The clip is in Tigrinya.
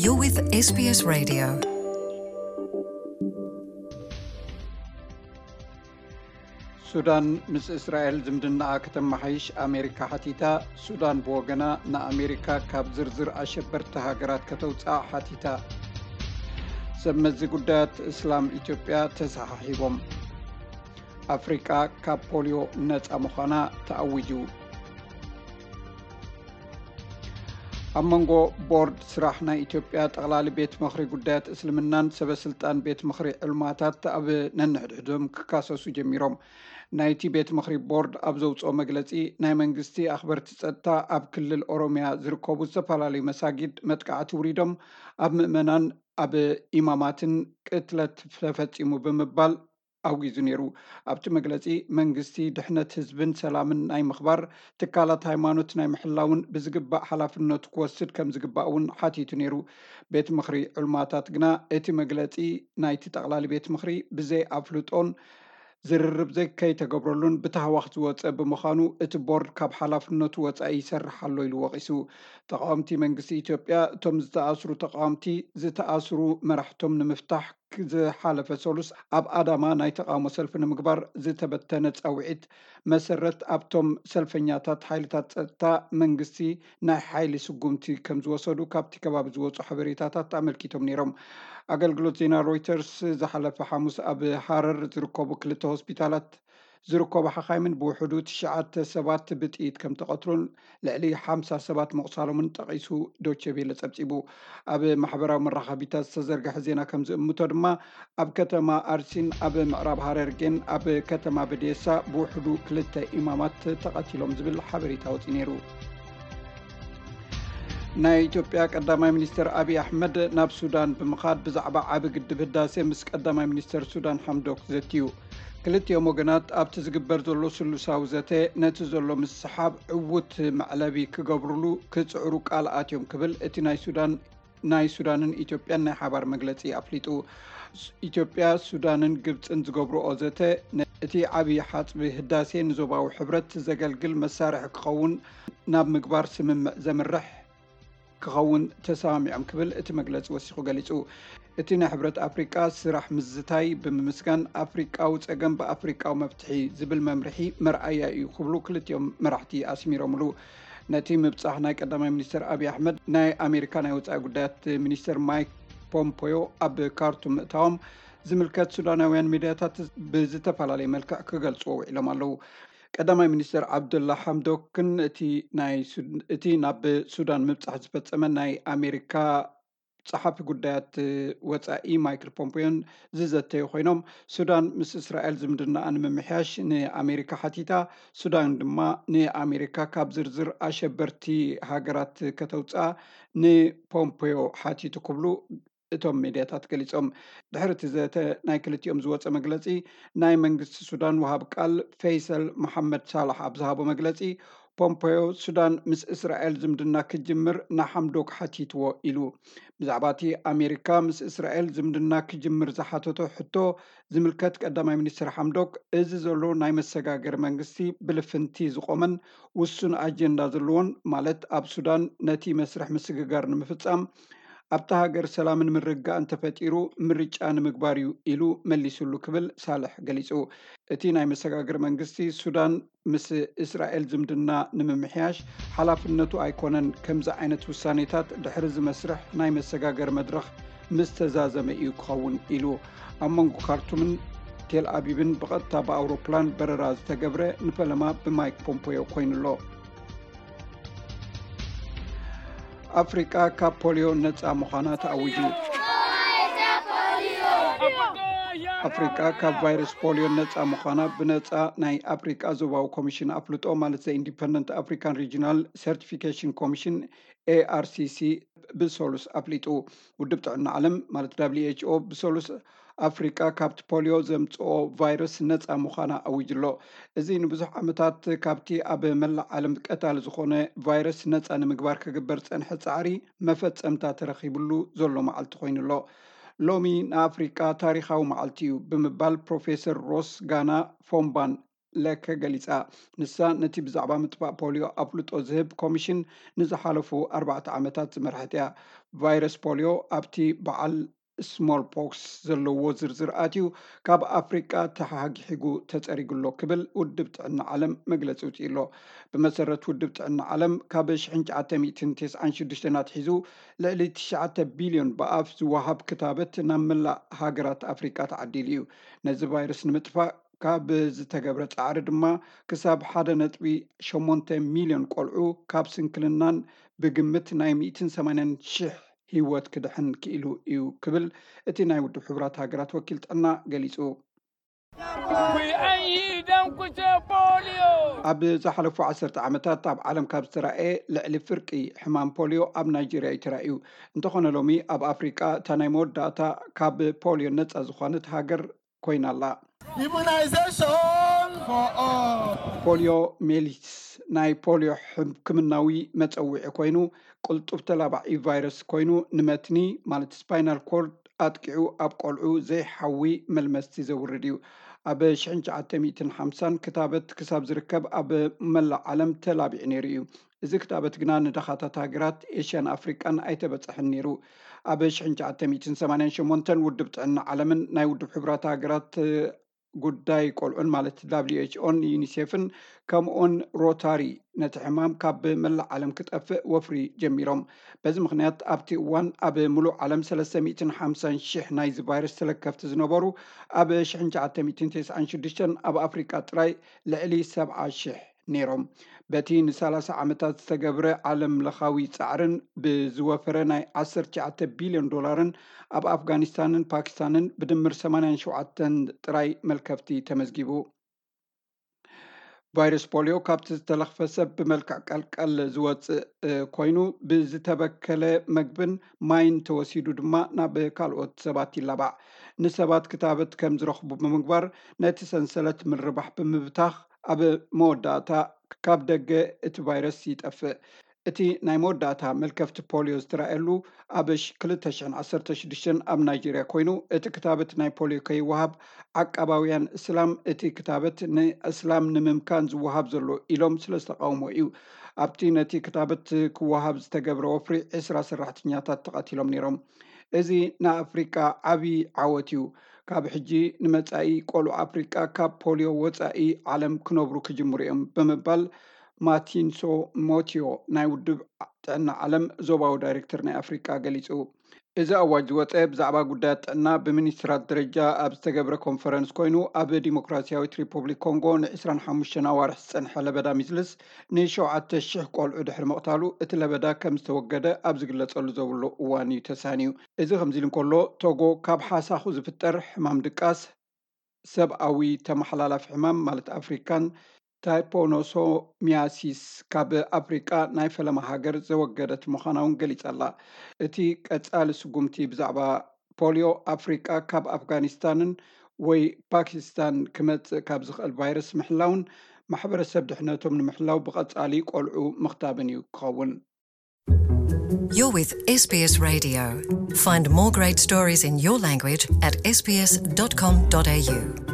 You're with S B S Radio. ሱዳን ምስ እስራኤል ዝምድናኣ ከተመሓይሽ ኣሜሪካ ሓቲታ። ሱዳን ብወገና ንኣሜሪካ ካብ ዝርዝር ኣሸበርቲ ሃገራት ከተውፅኣ ሓቲታ። ሰብ መዚ ጉዳያት እስላም ኢትዮጵያ ተሰሓሒቦም። ኣፍሪቃ ካብ ፖሊዮ ነፃ ምዃና ተኣዊጁ። ኣብ መንጎ ቦርድ ስራሕ ናይ ኢትዮጵያ ጠቕላሊ ቤት ምኽሪ ጉዳያት እስልምናን ሰበ ስልጣን ቤት ምኽሪ ዕልማታት ኣብ ነንሕድሕዶም ክካሰሱ ጀሚሮም። ናይቲ ቤት ምኽሪ ቦርድ ኣብ ዘውፅኦ መግለፂ፣ ናይ መንግስቲ ኣኽበርቲ ፀጥታ ኣብ ክልል ኦሮሚያ ዝርከቡ ዝተፈላለዩ መሳጊድ መጥቃዕቲ ውሪዶም ኣብ ምእመናን ኣብ ኢማማትን ቅትለት ተፈፂሙ ብምባል ኣውጊዙ ነይሩ። ኣብቲ መግለፂ መንግስቲ ድሕነት ህዝብን ሰላምን ናይ ምኽባር፣ ትካላት ሃይማኖት ናይ ምሕላውን ብዝግባእ ሓላፍነቱ ክወስድ ከም ዝግባእ እውን ሓቲቱ ነይሩ። ቤት ምኽሪ ዑልማታት ግና እቲ መግለፂ ናይቲ ጠቕላሊ ቤት ምኽሪ ብዘይ ኣፍልጦን ዝርርብ ዘይከይተገብረሉን ብታህዋኽ ዝወፀ ብምዃኑ እቲ ቦርድ ካብ ሓላፍነቱ ወፃኢ ይሰርሕ ኣሎ ኢሉ ወቒሱ። ተቃወምቲ መንግስቲ ኢትዮጵያ እቶም ዝተኣስሩ ተቃወምቲ ዝተኣስሩ መራሕቶም ንምፍታሕ ዝሓለፈ ሰሉስ ኣብ ኣዳማ ናይ ተቃውሞ ሰልፊ ንምግባር ዝተበተነ ፃውዒት መሰረት ኣብቶም ሰልፈኛታት ሓይልታት ፀጥታ መንግስቲ ናይ ሓይሊ ስጉምቲ ከም ዝወሰዱ ካብቲ ከባቢ ዝወፁ ሓበሬታታት ኣመልኪቶም ነይሮም። ኣገልግሎት ዜና ሮይተርስ ዝሓለፈ ሓሙስ ኣብ ሃረር ዝርከቡ ክልተ ሆስፒታላት ዝርከቡ ሓኻይምን ብውሕዱ ትሽዓተ ሰባት ብጥይት ከም ተቐትሉን ልዕሊ ሓምሳ ሰባት ምቑሳሎምን ጠቒሱ ዶቼ ቬለ ጸብጺቡ። ኣብ ማሕበራዊ መራኸቢታት ዝተዘርግሐ ዜና ከም ዝእምቶ ድማ ኣብ ከተማ ኣርሲን ኣብ ምዕራብ ሃረርጌን ኣብ ከተማ በዴሳ ብውሕዱ ክልተ ኢማማት ተቐቲሎም ዝብል ሓበሬታ ወጺኡ ነይሩ። ናይ ኢትዮጵያ ቀዳማይ ሚኒስትር ኣብይ ኣሕመድ ናብ ሱዳን ብምኻድ ብዛዕባ ዓቢ ግድብ ህዳሴ ምስ ቀዳማይ ሚኒስትር ሱዳን ሓምዶክ ዘትዩ። ክልቲኦም ወገናት ኣብቲ ዝግበር ዘሎ ስሉሳዊ ዘተ ነቲ ዘሎ ምስሓብ ዕዉት መዕለቢ ክገብርሉ ክጽዕሩ ቃል ኣትዮም ክብል እቲ ናይ ሱዳን ናይ ሱዳንን ኢትዮጵያን ናይ ሓባር መግለጺ ኣፍሊጡ። ኢትዮጵያ፣ ሱዳንን ግብጽን ዝገብርኦ ዘተ እቲ ዓቢ ሓጽቢ ህዳሴ ንዞባዊ ሕብረት ዘገልግል መሳርሒ ክኸውን ናብ ምግባር ስምምዕ ዘምርሕ ክኸውን ተሰማሚዖም ክብል እቲ መግለጺ ወሲኹ ገሊጹ። እቲ ናይ ሕብረት ኣፍሪቃ ስራሕ ምዝታይ ብምምስጋን ኣፍሪቃዊ ጸገም ብኣፍሪቃዊ መፍትሒ ዝብል መምርሒ መርኣያ እዩ ክብሉ ክልቲኦም መራሕቲ ኣስሚሮምሉ። ነቲ ምብጻሕ ናይ ቀዳማይ ሚኒስትር ኣብይ ኣሕመድ ናይ ኣሜሪካ ናይ ወጻኢ ጉዳያት ሚኒስትር ማይክ ፖምፖዮ ኣብ ካርቱም ምእታዎም ዝምልከት ሱዳናውያን ሚድያታት ብዝተፈላለየ መልክዕ ክገልጽዎ ውዒሎም ኣለዉ። ቀዳማይ ሚኒስትር ዓብዱላ ሓምዶክን እቲ ናይ ሱድ-፣ እቲ ናብ ሱዳን ምብጻሕ ዝፈጸመ ናይ ኣሜሪካ ጸሓፊ ጉዳያት ወጻኢ ማይክል ፖምፖዮን ዝዘተዩ ኮይኖም፣ ሱዳን ምስ እስራኤል ዝምድናኣ ንምምሕያሽ ንኣሜሪካ ሓቲታ፣ ሱዳን ድማ ንኣሜሪካ ካብ ዝርዝር ኣሸበርቲ ሃገራት ከተውፅኣ ንፖምፖዮ ሓቲቱ ክብሉ እቶም ሜድያታት ገሊጾም። ድሕሪ እቲ ዘተ ናይ ክልቲኦም ዝወጸ መግለጺ፣ ናይ መንግስቲ ሱዳን ወሃብ ቃል ፈይሰል መሓመድ ሳላሕ ኣብ ዝሃቦ መግለጺ፣ ፖምፖዮ ሱዳን ምስ እስራኤል ዝምድና ክጅምር ንሓምዶክ ሓቲትዎ ኢሉ። ብዛዕባ እቲ ኣሜሪካ ምስ እስራኤል ዝምድና ክጅምር ዝሓተቶ ሕቶ ዝምልከት ቀዳማይ ሚኒስትር ሓምዶክ፣ እዚ ዘሎ ናይ መሰጋገሪ መንግስቲ ብልፍንቲ ዝቆመን ውሱን ኣጀንዳ ዘለዎን፣ ማለት ኣብ ሱዳን ነቲ መስርሕ ምስግጋር ንምፍጻም ኣብታ ሃገር ሰላምን ምርግጋእን ተፈጢሩ ምርጫ ንምግባር እዩ ኢሉ መሊሱሉ ክብል ሳልሕ ገሊጹ። እቲ ናይ መሰጋገሪ መንግስቲ ሱዳን ምስ እስራኤል ዝምድና ንምምሕያሽ ሓላፍነቱ ኣይኮነን። ከምዚ ዓይነት ውሳኔታት ድሕሪ እዚ መስርሕ ናይ መሰጋገሪ መድረኽ ምስ ተዛዘመ እዩ ክኸውን ኢሉ። ኣብ መንጎ ካርቱምን ቴል ኣቢብን ብቐጥታ ብኣውሮፕላን በረራ ዝተገብረ ንፈለማ ብማይክ ፖምፖዮ ኮይኑ ኣሎ። ኣፍሪቃ ካብ ፖሊዮ ነጻ ምዃና ተኣዊጁ። ኣፍሪቃ ካብ ቫይረስ ፖሊዮ ነጻ ምዃና ብነጻ ናይ ኣፍሪቃ ዞባዊ ኮሚሽን ኣፍልጦ፣ ማለት ዘ ኢንዲፐንደንት ኣፍሪካን ሪጂናል ሰርቲፊኬሽን ኮሚሽን፣ ኤ ኣር ሲ ሲ፣ ብሰሉስ ኣፍሊጡ። ውድብ ጥዕና ዓለም፣ ማለት ደብሊው ኤች ኦ፣ ብሰሉስ ኣፍሪቃ ካብቲ ፖሊዮ ዘምጽኦ ቫይረስ ነጻ ምዃና ኣዊጁ ኣሎ። እዚ ንብዙሕ ዓመታት ካብቲ ኣብ መላእ ዓለም ቀታሊ ዝኾነ ቫይረስ ነጻ ንምግባር ክግበር ዝጸንሐ ጻዕሪ መፈጸምታ ተረኺብሉ ዘሎ መዓልቲ ኮይኑ ኣሎ። ሎሚ ንኣፍሪቃ ታሪኻዊ መዓልቲ እዩ ብምባል ፕሮፌሰር ሮስ ጋና ፎምባን ለከ ገሊጻ። ንሳ ነቲ ብዛዕባ ምጥፋእ ፖሊዮ ኣፍልጦ ዝህብ ኮሚሽን ንዝሓለፉ ኣርባዕተ ዓመታት ዝመርሐት እያ። ቫይረስ ፖሊዮ ኣብቲ በዓል ስሞል ፖክስ ዘለዎ ዝርዝር ኣትዩ ካብ ኣፍሪቃ ተሓጊሒጉ ተጸሪጉ ኣሎ ክብል ውድብ ጥዕና ዓለም መግለጺ ውፅኡ ኣሎ። ብመሰረት ውድብ ጥዕና ዓለም ካብ ሽሕን ትሽዓተ ሚእትን ተስዓን ሽዱሽተን ኣትሒዙ ልዕሊ ትሽዓተ ቢልዮን ብኣፍ ዝወሃብ ክታበት ናብ መላእ ሃገራት ኣፍሪቃ ተዓዲሉ እዩ። ነዚ ቫይረስ ንምጥፋእ ካብ ዝተገብረ ጻዕሪ ድማ ክሳብ ሓደ ነጥቢ ሸሞንተ ሚልዮን ቆልዑ ካብ ስንክልናን ብግምት ናይ ሚእትን ሰማንያን ሽሕ ህይወት ክድሕን ክኢሉ እዩ ክብል እቲ ናይ ውድብ ሕቡራት ሃገራት ወኪል ጥዕና ገሊጹ። ኣብ ዝሓለፉ ዓሰርተ ዓመታት ኣብ ዓለም ካብ ዝተራእየ ልዕሊ ፍርቂ ሕማም ፖሊዮ ኣብ ናይጄርያ እዩ ተራእዩ። እንተኾነ ሎሚ ኣብ ኣፍሪቃ እታ ናይ መወዳእታ ካብ ፖሊዮ ነጻ ዝኾነት ሃገር ኮይና ኣላ። Immunization for all. ፖሊዮ ሜሊትስ ናይ ፖሊዮ ሕክምናዊ መጸውዒ ኮይኑ ቅልጡፍ ተላባዒ ቫይረስ ኮይኑ ንመትኒ ማለት ስፓይናል ኮርድ ኣጥቂዑ ኣብ ቆልዑ ዘይሓዊ መልመስቲ ዘውርድ እዩ። ኣብ ሽሕን ትሽዓተ ሚእትን ሓምሳን ክታበት ክሳብ ዝርከብ ኣብ መላእ ዓለም ተላቢዑ ነይሩ እዩ። እዚ ክታበት ግና ንደኻታት ሃገራት ኤሽያን ኣፍሪቃን ኣይተበጽሐን ነይሩ። ኣብ ሽሕን ትሽዓተ ሚእትን ሰማንያን ሸሞንተን ውድብ ጥዕና ዓለምን ናይ ውድብ ሕቡራት ሃገራት ጉዳይ ቆልዑን ማለት ዳብሊው ኤች ኦን ዩኒሴፍን ከምኡን ሮታሪ ነቲ ሕማም ካብ መላእ ዓለም ክጠፍእ ወፍሪ ጀሚሮም። በዚ ምኽንያት ኣብቲ እዋን ኣብ ሙሉእ ዓለም ሰለስተ ሚእትን ሓምሳን ሽሕ ናይዚ ቫይረስ ተለከፍቲ ዝነበሩ ኣብ ሽሕን ትሽዓተ ሚእትን ተስዓን ሽዱሽተን ኣብ ኣፍሪቃ ጥራይ ልዕሊ ሰብዓ ሽሕ ነይሮም። በቲ ንሰላሳ ዓመታት ዝተገብረ ዓለም ለኻዊ ጻዕርን ብዝወፈረ ናይ ዓሰርተ ትሽዓተ ቢልዮን ዶላርን ኣብ ኣፍጋኒስታንን ፓኪስታንን ብድምር ሰማንያን ሸውዓተን ጥራይ መልከፍቲ ተመዝጊቡ። ቫይረስ ፖሊዮ ካብቲ ዝተለኽፈ ሰብ ብመልክዕ ቀልቀል ዝወፅእ ኮይኑ ብዝተበከለ መግብን ማይን ተወሲዱ ድማ ናብ ካልኦት ሰባት ይላባዕ። ንሰባት ክታበት ከም ዝረኽቡ ብምግባር ነቲ ሰንሰለት ምርባሕ ብምብታኽ ኣብ መወዳእታ ካብ ደገ እቲ ቫይረስ ይጠፍእ። እቲ ናይ መወዳእታ መልከፍቲ ፖሊዮ ዝተራእየሉ ኣብ ክልተ ሽሕን ዓሰርተ ሽዱሽተን ኣብ ናይጄርያ ኮይኑ እቲ ክታበት ናይ ፖሊዮ ከይወሃብ ዓቃባውያን እስላም እቲ ክታበት ንእስላም ንምምካን ዝወሃብ ዘሎ ኢሎም ስለ ዝተቃውሞ እዩ። ኣብቲ ነቲ ክታበት ክወሃብ ዝተገብረ ወፍሪ ዕስራ ሰራሕተኛታት ተቐቲሎም ነይሮም። እዚ ንኣፍሪቃ ዓብዪ ዓወት እዩ። ካብ ሕጂ ንመጻኢ ቆልዑ ኣፍሪቃ ካብ ፖሊዮ ወጻኢ ዓለም ክነብሩ ክጅምሩ እዮም ብምባል ማቲንሶ ሞቲዮ ናይ ውድብ ጥዕና ዓለም ዞባዊ ዳይሬክተር ናይ ኣፍሪቃ ገሊጹ። እዚ ኣዋጅ ዝወጸ ብዛዕባ ጉዳያት ጥዕና ብሚኒስትራት ደረጃ ኣብ ዝተገብረ ኮንፈረንስ ኮይኑ ኣብ ዲሞክራሲያዊት ሪፑብሊክ ኮንጎ ን ዕስራን ሓሙሽተን ኣዋርሕ ዝጸንሐ ለበዳ ሚዝልስ ንሸውዓተ ሽሕ ቆልዑ ድሕሪ ምቕታሉ እቲ ለበዳ ከም ዝተወገደ ኣብ ዝግለጸሉ ዘብሎ እዋን እዩ ተሳንዩ። እዚ ከምዚ ኢሉ እንከሎ ቶጎ ካብ ሓሳኹ ዝፍጠር ሕማም ድቃስ ሰብኣዊ ተመሓላላፊ ሕማም ማለት ኣፍሪካን ታይፖኖሶሚያሲስ ካብ ኣፍሪቃ ናይ ፈለማ ሃገር ዘወገደት ምዃና እውን ገሊጻ ኣላ። እቲ ቀጻሊ ስጉምቲ ብዛዕባ ፖሊዮ ኣፍሪቃ ካብ ኣፍጋኒስታንን ወይ ፓኪስታን ክመጽእ ካብ ዝኽእል ቫይረስ ምሕላውን ማሕበረሰብ ድሕነቶም ንምሕላው ብቐጻሊ ቆልዑ ምኽታብን እዩ ክኸውን። You're with S B S Radio. Find more great stories in your language at S B S dot com dot A U.